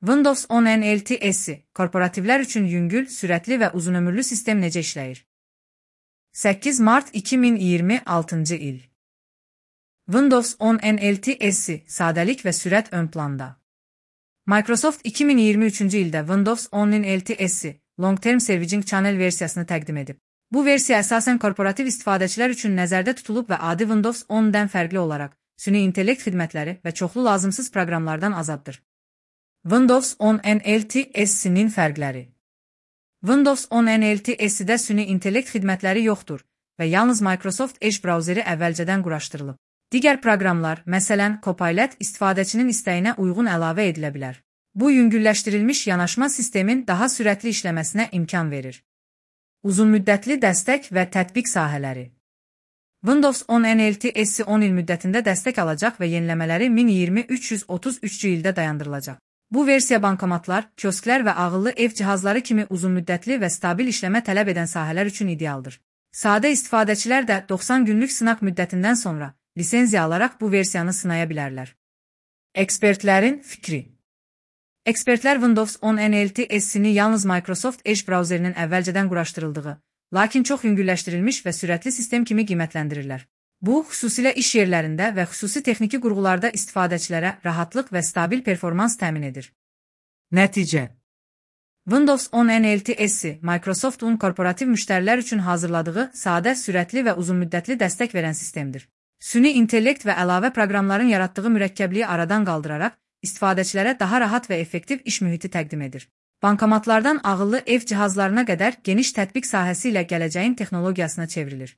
Windows 10 NLTS korporativlər üçün yüngül, sürətli və uzunömürlü sistem necə işləyir? 8 mart 2026 il. Windows 10 NLTS sadəlik və sürət ön planda. Microsoft 2023-cü ildə Windows 10 NLTS Long Term Servicing Channel versiyasını təqdim edib. Bu versiya əsasən korporativ istifadəçilər üçün nəzərdə tutulub və adi Windows 10-dən fərqli olaraq süni intellekt xidmətləri və çoxlu lazımsız proqramlardan azaddır. Windows 10 NLTS-nin fərqləri. Windows 10 NLTS-də süni intellekt xidmətləri yoxdur və yalnız Microsoft Edge brauzeri əvvəlcədən quraşdırılıb. Digər proqramlar, məsələn, Copilot istifadəçinin istəyinə uyğun əlavə edilə bilər. Bu, yüngülləşdirilmiş yanaşma sistemin daha sürətli işləməsinə imkan verir. Uzunmüddətli dəstək və tətbiq sahələri. Windows 10 NLTS 10 il müddətində dəstək alacaq və yeniləmələri 1020-333-cü ildə dayandırılacaq. Bu versiya bankomatlar, kiosklər və ağıllı ev cihazları kimi uzunmüddətli və stabil işləmə tələb edən sahələr üçün idealdır. Sadə istifadəçilər də 90 günlük sınaq müddətindən sonra lisenziya alaraq bu versiyanı sınaya bilərlər. Ekspertlərin fikri. Ekspertlər Windows 10 NLTS-ni yalnız Microsoft Edge brauzerinin əvvəlcədən quraşdırıldığı, lakin çox yüngülləşdirilmiş və sürətli sistem kimi qiymətləndirirlər. Bu, xüsusilə iş yerlərində və xüsusi texniki qurğularda istifadəçilərə rahatlıq və stabil performans təmin edir. Nəticə. Windows 10 NLTS Microsoft'un korporativ müştərilər üçün hazırladığı sadə, sürətli və uzunmüddətli dəstək verən sistemdir. Süni intellekt və əlavə proqramların yaratdığı mürəkkəbliyi aradan qaldıraraq istifadəçilərə daha rahat və effektiv iş mühiti təqdim edir. Bankomatlardan ağıllı ev cihazlarına qədər geniş tətbiq sahəsi ilə gələcəyin texnologiyasına çevrilir.